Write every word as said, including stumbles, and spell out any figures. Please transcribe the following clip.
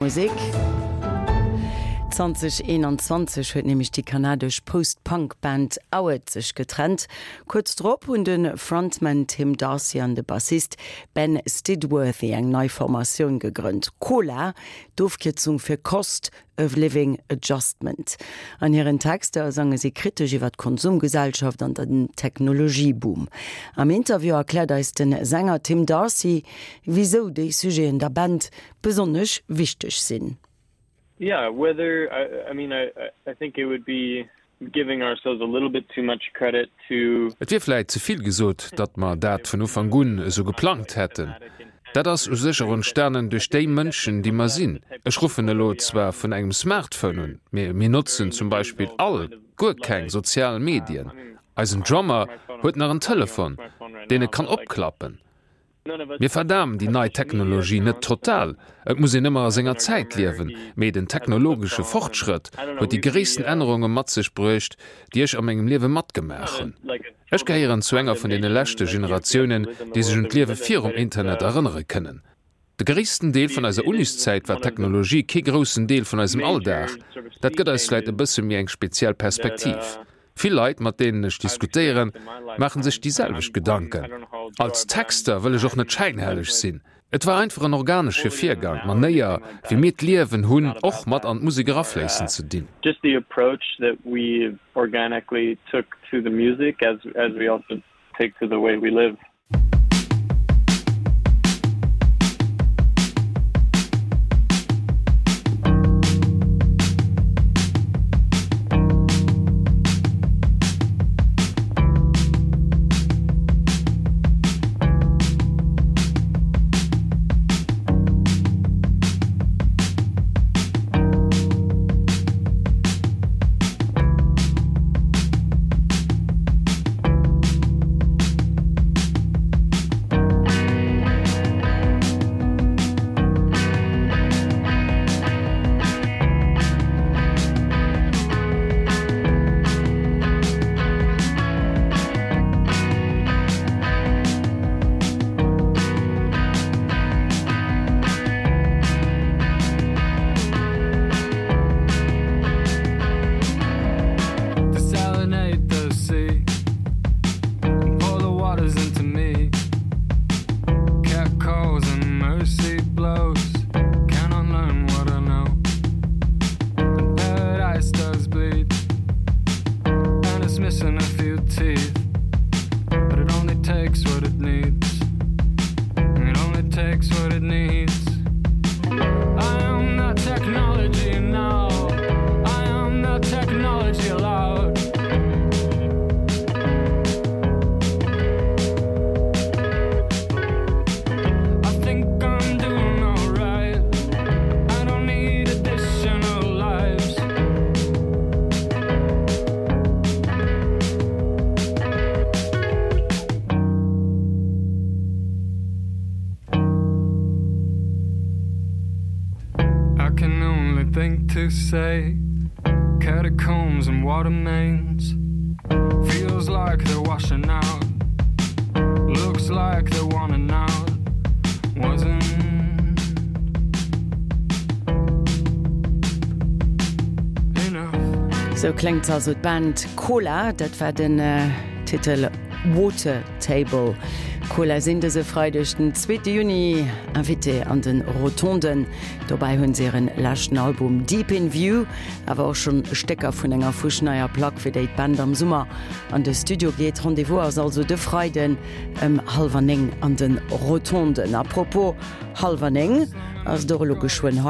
Musek. Zwanzeg eenanzwanzeg huet nämlech déi kanadesch Post-Punk-Band Auet sech getrennt. Kuerz drop hunn de Frontman Tim Darcy an de Bassist Ben Stidworthy eng nei Formatioun gegrënnt, Cola, d'Ofkierzung fir Cost of Living Adjustment. An hiren Texter sange si kritesch iwwer d'Konsumgesellschaft an den Technologieboom. Am Interview erkläert eis de Sänger Tim Darcy, wisou déi Sujeten der Band besonnesch wichteg sinn. Yeah, whether I, I mean I, I think it would be giving ourselves a little bit too much credit to Et wier vläit ze vill gesot, datt mer dat vun Ufank un esou geplangt hätten. Dat ass u sech och entstanen duerch déi Mënschen, déi mer sinn. Ech ruffen elo zwar vun engem Smartphone un, mee mir notzen zum Beispill all guer keng sozial Medien. Eisen Drummer huet nach en Telefon, deen e kann opklappen. Mir verdamen déi nei Technologie net total, et muss een ëmmer a senger Zäit liewen, mee den technologesche Fortschrëtt huet déi gréissten Ännerunge mat sech bruecht, déi ech a mengem Liewe matgemaach hunn. Ech gehéieren zu enger vun deene leschte Generatiounen, déi sech un d'Liewe virum Internet erënnere kënnen. De gréissten Deel vun eiser Uniszäit war d'Technologie kee groussen Deel vun eisem Alldag. Dat gëtt eis vläit e bësse méi eng speziell Perspektiv. Vill Leit, mat deenen ech diskutéieren, maache sech déi selwecht Gedanken. Als Texter wëll ech och net schäinhelleg sinn. Et war einfach en organesche Virgang, d'Manéier, wéi mir d'Liewen hunn, och mat an d'Musek erafléissen ze dinn. Just the approach that we organically took to the music as as we also take to the way we live. Say catacombs and water mains feels like they're washing out looks like they're wanting out wasn't enough. Sou kléngt also d'Band Cola, dat war den Titel Water Table. Cola sinn dëse Freideg den zweete Juni Invité an de Rotonden. Dobäi hunn se hiren leschten Album Deep in View, awer och schonn Stécker vun enger fuschneier Plack, fir déi d'Band am Summer an de Studio geet. Rendez-vous ass also de Freiden ëm hallwer néng an de Rotonden. A propos hallwer néng ass et och elo geschwënn hei.